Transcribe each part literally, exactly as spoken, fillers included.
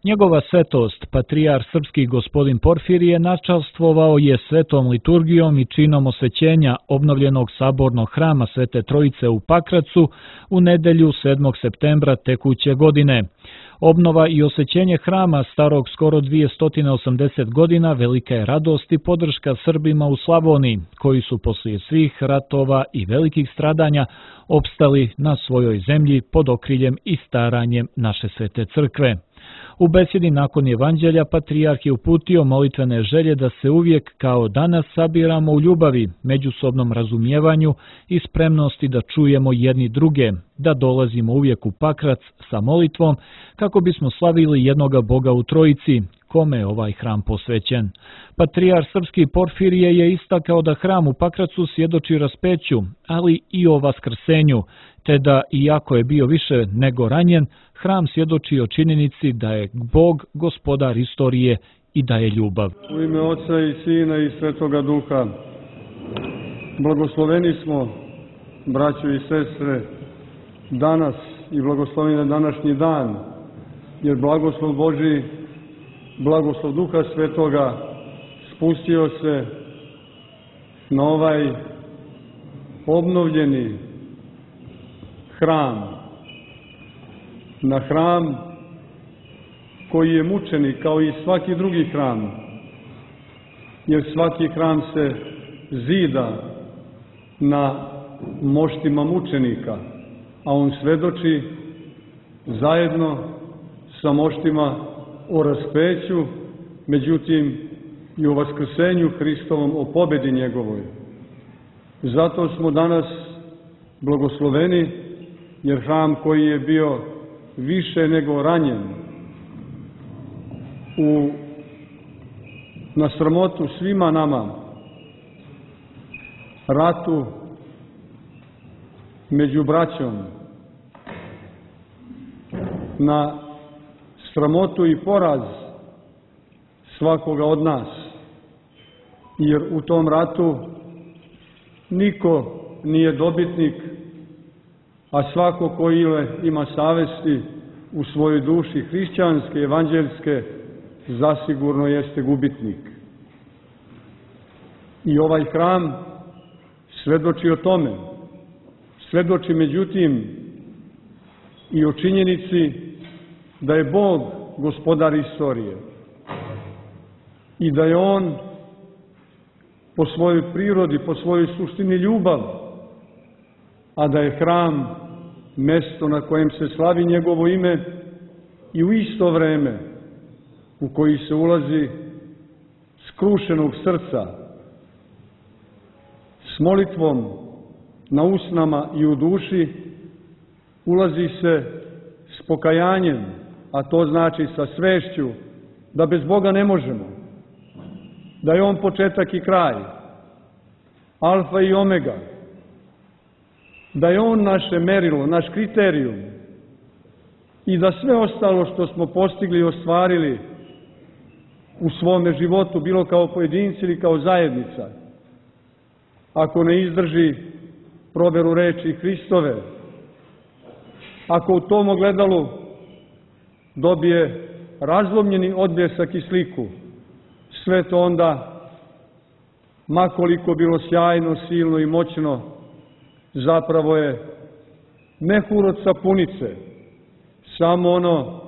Njegova svetost, patrijar srpski gospodin Porfirije, načastvovao je svetom liturgijom i činom osvećenja obnovljenog sabornog hrama Svete Trojice u Pakracu u nedelju sedmog septembra tekuće godine. Obnova i osvećenje hrama starog skoro dvjesto osamdeset godina velika je radost i podrška Srbima u Slavoniji, koji su poslije svih ratova i velikih stradanja opstali na svojoj zemlji pod okriljem i staranjem naše Svete Crkve. U besjedi nakon evanđelja patrijarh je uputio molitvene želje da se uvijek kao danas sabiramo u ljubavi, međusobnom razumijevanju i spremnosti da čujemo jedni druge, da dolazimo uvijek u Pakrac sa molitvom kako bismo slavili jednoga Boga u Trojici, kome je ovaj hram posvećen. Patrijar srpski Porfirije je istakao da hram u Pakracu svjedoči raspeću, ali i o vaskrsenju, te da, iako je bio više nego ranjen, hram svjedoči o činjenici da je Bog gospodar istorije i da je ljubav. U ime Oca i Sina i Svetoga Duha, blagosloveni smo, braćo i sestre, danas i blagosloven je današnji dan, jer blagoslov Božji, blagoslov Duha Svetoga spustio se na ovaj obnovljeni hram, na hram koji je mučenik kao i svaki drugi hram, jer svaki hram se zida na moštima mučenika, a on svedoči zajedno sa moštima o raspeću, međutim i o vaskrsenju Hristovom, o pobedi njegovoj. Zato smo danas blagosloveni, jer hram koji je bio više nego ranjen u, na sramotu svima nama, ratu među braćom, na sramotu i poraz svakoga od nas, jer u tom ratu niko nije dobitnik, a svako ko ima savesti u svojoj duši hrišćanske, evanđeljske, zasigurno jeste gubitnik. I ovaj hram svedoči o tome. Svedoči međutim i o činjenici da je Bog gospodar istorije i da je On po svojoj prirodi, po svojoj suštini ljubav, a da je hram mesto na kojem se slavi njegovo ime i u isto vreme u koji se ulazi skrušenog srca, s molitvom na usnama i u duši, ulazi se s pokajanjem, a to znači sa svešću da bez Boga ne možemo, da je On početak i kraj, alfa i omega, da je On naše merilo, naš kriterijum i da sve ostalo što smo postigli i ostvarili u svome životu, bilo kao pojedinci ili kao zajednica, ako ne izdrži proveru reči Hristove, ako u tom ogledalu dobije razlomljeni odbljesak i sliku, sve to onda, makoliko bilo sjajno, silno i moćno, zapravo je mehur od sapunice, samo ono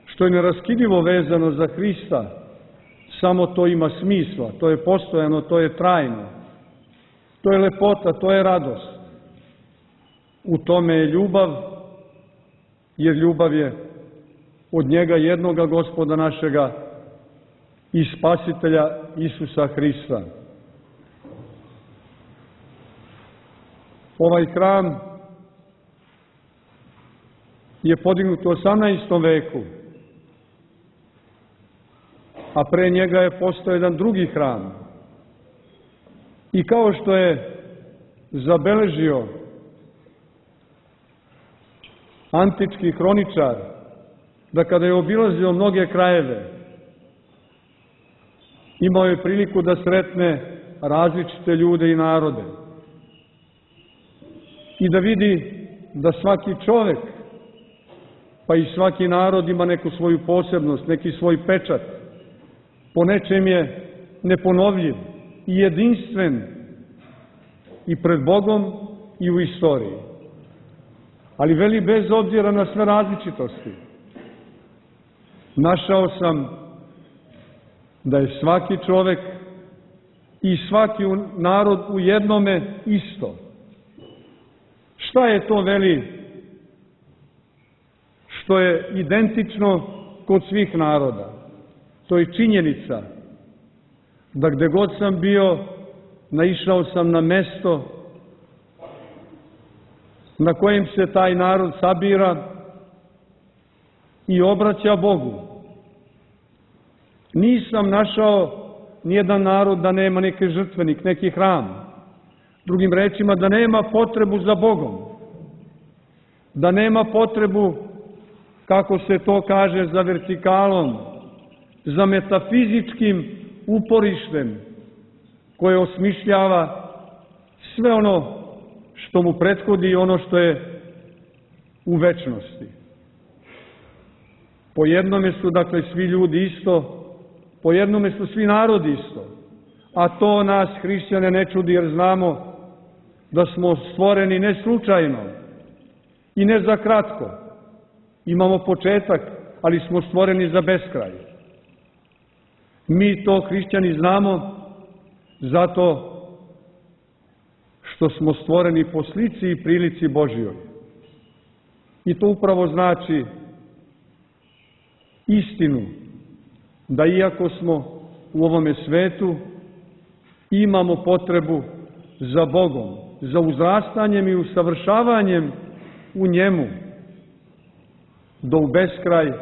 što je neraskidivo vezano za Hrista, samo to ima smisla, to je postojano, to je trajno, to je lepota, to je radost. U tome je ljubav, jer ljubav je od njega jednoga Gospoda našega i Spasitelja Isusa Hrista. Ovaj hram je podignut u osamnaestom veku, a pre njega je postao jedan drugi hram. I kao što je zabeležio antički hroničar, da kada je obilazio mnoge krajeve, imao je priliku da sretne različite ljude i narode i da vidi da svaki čovek, pa i svaki narod ima neku svoju posebnost, neki svoj pečat. Po nečem je neponovljiv i jedinstven i pred Bogom i u istoriji. Ali veli, bez obzira na sve različitosti, našao sam da je svaki čovek i svaki narod u jednome isto. Šta je to, veli, što je identično kod svih naroda? To je činjenica da gde god sam bio, naišao sam na mesto na kojem se taj narod sabira i obraća Bogu. Nisam našao nijedan narod da nema neki žrtvenik, neki hram. Drugim rečima, da nema potrebu za Bogom. Da nema potrebu, kako se to kaže, za vertikalom, za metafizičkim uporištem koje osmišljava sve ono što mu prethodi i ono što je u večnosti. Po jednome su, dakle, svi ljudi isto, po jednome su svi narodi isto, a to nas, hrišćane, ne čudi, jer znamo da smo stvoreni ne slučajno i ne za kratko. Imamo početak, ali smo stvoreni za beskraj. Mi to, hrišćani, znamo zato što smo stvoreni po slici i prilici Božjoj. I to upravo znači istinu, da iako smo u ovome svetu, imamo potrebu za Bogom, za uzrastanjem i usavršavanjem u njemu, do u beskraj,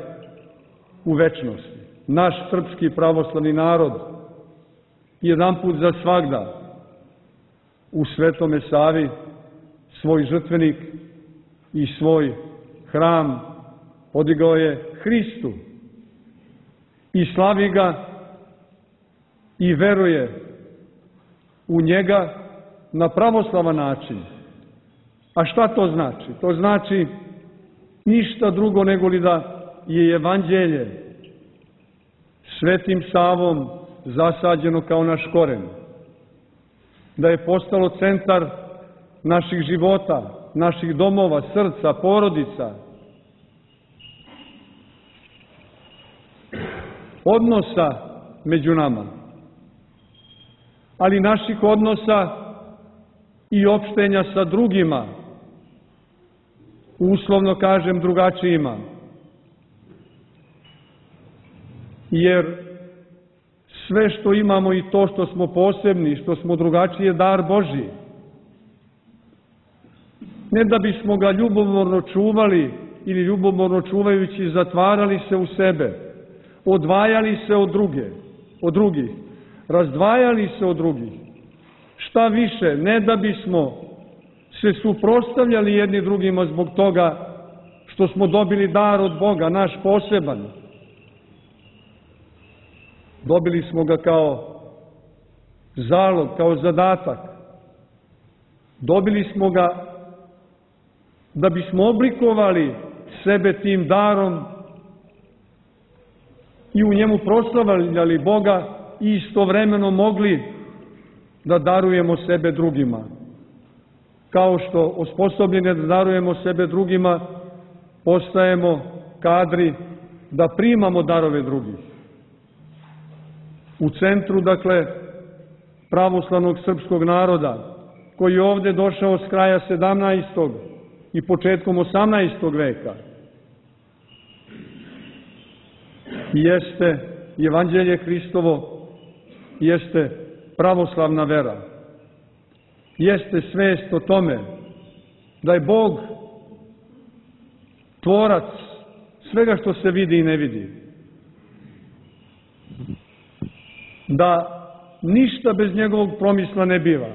u večnosti. Naš srpski pravoslavni narod jedanput za svagda u Svetome Savi svoj žrtvenik i svoj hram podigao je Hristu i slavi ga i veruje u njega na pravoslavan način. A šta to znači? To znači ništa drugo nego li da je evanđelje Svetim Savom zasađeno kao naš koren, da je postalo centar naših života, naših domova, srca, porodica, odnosa među nama, ali naših odnosa i opštenja sa drugima, uslovno kažem drugačijima. Jer sve što imamo i to što smo posebni, što smo drugačiji, je dar Božji. Ne da bismo ga ljubomorno čuvali ili ljubomorno čuvajući zatvarali se u sebe, odvajali se od druge, od drugih, razdvajali se od drugih. Šta više, ne da bismo se suprotstavljali jedni drugima zbog toga što smo dobili dar od Boga, naš poseban. Dobili smo ga kao zalog, kao zadatak. Dobili smo ga da bismo oblikovali sebe tim darom i u njemu proslavljali Boga i istovremeno mogli da darujemo sebe drugima. Kao što osposobljeni da darujemo sebe drugima, postajemo kadri da primamo darove drugih. U centru, dakle, pravoslavnog srpskog naroda, koji je ovde došao s kraja sedamnaestog i početkom osamnaestog veka, jeste evanđelje Hristovo, jeste pravoslavna vera, jeste svest o tome da je Bog tvorac svega što se vidi i ne vidi, da ništa bez njegovog promisla ne biva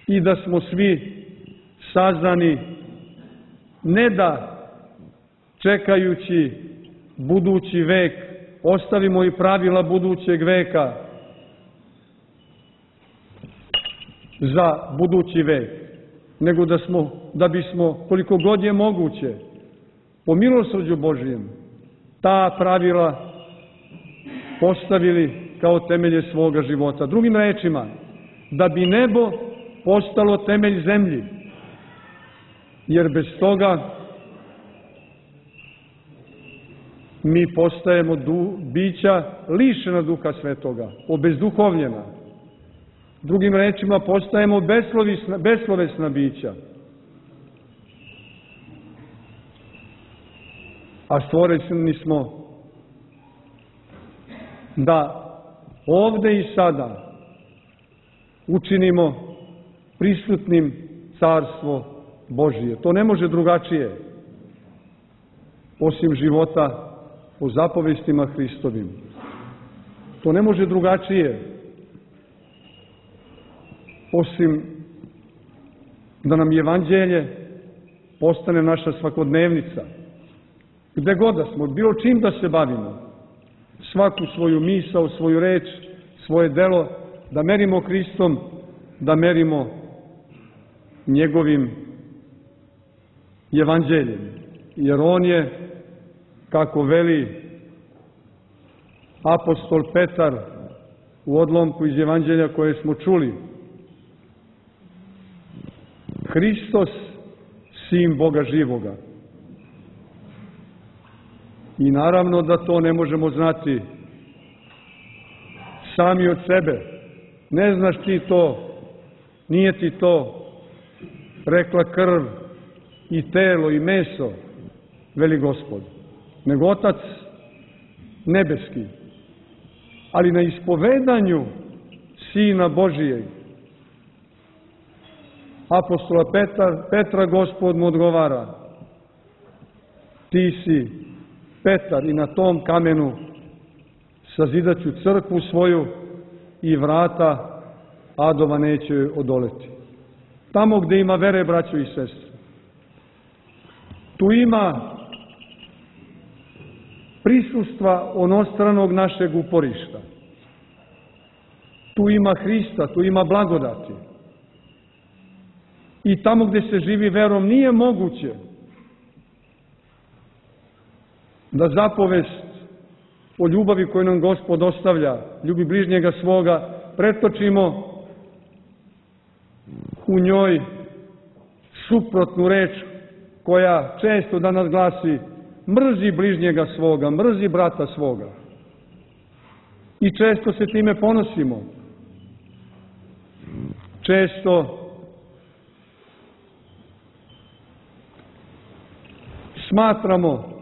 i da smo svi sazdani ne da čekajući budući vek ostavimo i pravila budućeg veka za budući vek, nego da smo, da bismo, koliko god je moguće, po milosrđu Božijem, ta pravila postavili kao temelje svoga života. Drugim rečima, da bi nebo postalo temelj zemlji, jer bez toga mi postajemo du, bića lišena Duha Svetoga, obezduhovljena. Drugim rečima, postajemo beslovesna, beslovesna bića. A stvoreni smo da ovde i sada učinimo prisutnim Carstvo Božije. To ne može drugačije, osim života po zapovestima Hristovim. To ne može drugačije, osim da nam evanđelje postane naša svakodnevnica. Gde god da smo, bilo čim da se bavimo, svaku svoju misao, svoju reč, svoje delo, da merimo Hristom, da merimo njegovim evanđeljem. Jer on je, kako veli apostol Petar u odlomku iz evanđelja koje smo čuli, Hristos, sin Boga živoga. I naravno da to ne možemo znati sami od sebe. Ne znaš ti to, nije ti to rekla krv i telo i meso, veli Gospod, nego Otac nebeski. Ali na ispovedanju Sina Božijeg, apostola Petra, Petra Gospod mu odgovara: ti si Petar i na tom kamenu sazidaću crkvu svoju i vrata adova neće joj odoleti. Tamo gde ima vere, braćo i sestre, tu ima prisustva onostranog našeg uporišta. Tu ima Hrista, tu ima blagodati. I tamo gde se živi verom nije moguće da zapovest o ljubavi koju nam Gospod ostavlja, ljubi bližnjega svoga, pretočimo u njoj suprotnu reč koja često danas glasi: mrzi bližnjega svoga, mrzi brata svoga. I često se time ponosimo. Često smatramo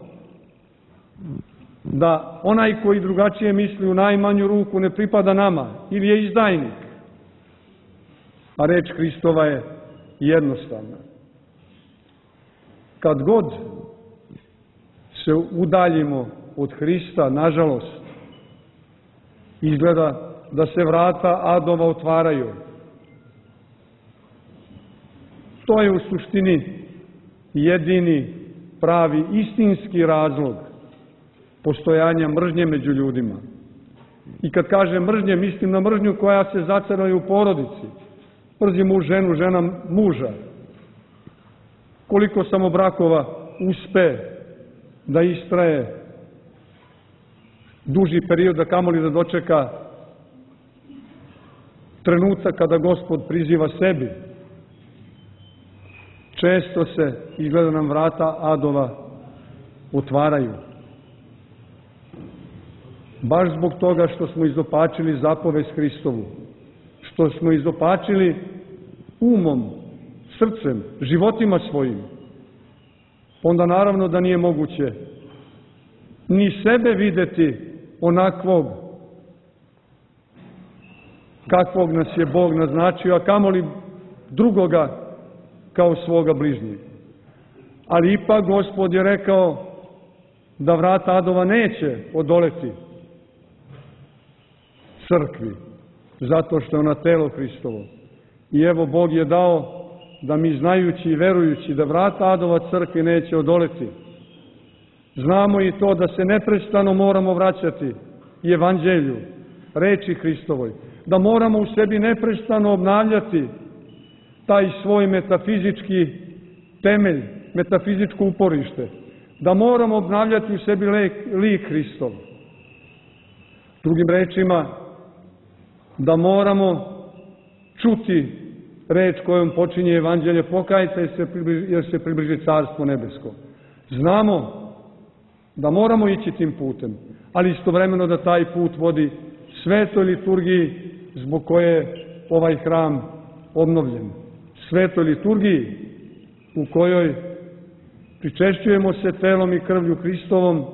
da onaj koji drugačije misli u najmanju ruku ne pripada nama ili je izdajnik. A reč Hristova je jednostavna. Kad god se udaljimo od Hrista, nažalost, izgleda da se vrata adova otvaraju. To je u suštini jedini, pravi, istinski razlog postojanja mržnje među ljudima. I kad kažem mržnje, mislim na mržnju koja se zacaruje u porodici. Mrzi muž ženu, žena muža. Koliko samo brakova uspe da istraje duži period, da kamoli da dočeka trenutak kada Gospod priziva sebi. Često se, izgleda nam, vrata adova otvaraju. Baš zbog toga što smo izopačili zapovest Hristovu, što smo izopačili umom, srcem, životima svojim, onda naravno da nije moguće ni sebe videti onakvog kakvog nas je Bog naznačio, a kamoli drugoga kao svoga bližnjeg. Ali ipak Gospod je rekao da vrata adova neće odoleti crkvi, zato što je ona telo Hristovo. I evo, Bog je dao da mi, znajući i verujući da vrata adova crkvi neće odoleti, znamo i to da se neprestano moramo vraćati i evanđelju, reči Hristovoj, da moramo u sebi neprestano obnavljati taj svoj metafizički temelj, metafizičko uporište, da moramo obnavljati u sebi lik Hristov. Drugim rečima, da moramo čuti reč kojom počinje evanđelje, pokajte se jer se približi carstvo nebesko. Znamo da moramo ići tim putem, ali istovremeno da taj put vodi svetoj liturgiji zbog koje je ovaj hram obnovljen. Svetoj liturgiji u kojoj pričešćujemo se telom i krvlju Hristovom,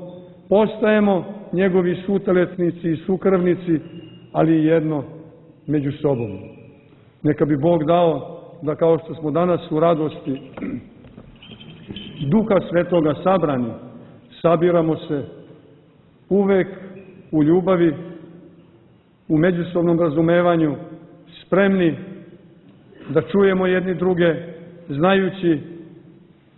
postajemo njegovi suteletnici i sukrvnici, ali i jedno među sobom. Neka bi Bog dao da kao što smo danas u radosti Duha Svetoga sabrani, sabiramo se uvek u ljubavi, u međusobnom razumevanju, spremni da čujemo jedni druge, znajući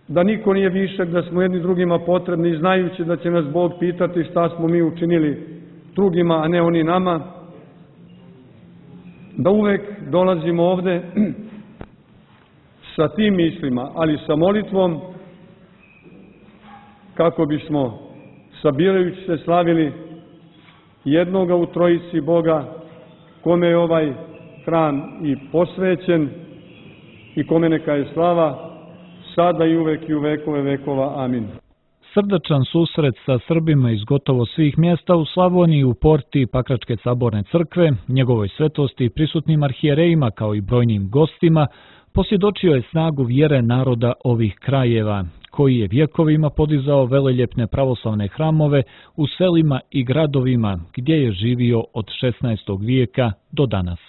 da niko nije višak, da smo jedni drugima potrebni i znajući da će nas Bog pitati šta smo mi učinili drugima, a ne oni nama. Da uvek dolazimo ovde sa tim mislima, ali sa molitvom, kako bismo sabirajući se slavili jednoga u trojici Boga, kome je ovaj hram i posvećen i kome neka je slava sada i uvek i u vekove vekova. Amin. Srdačan susret sa Srbima iz gotovo svih mjesta u Slavoniji, u porti Pakračke saborne crkve, njegovoj svetosti i prisutnim arhijerejima kao i brojnim gostima, posvjedočio je snagu vjere naroda ovih krajeva, koji je vjekovima podizao veleljepne pravoslavne hramove u selima i gradovima gdje je živio od šesnaestog vijeka do danas.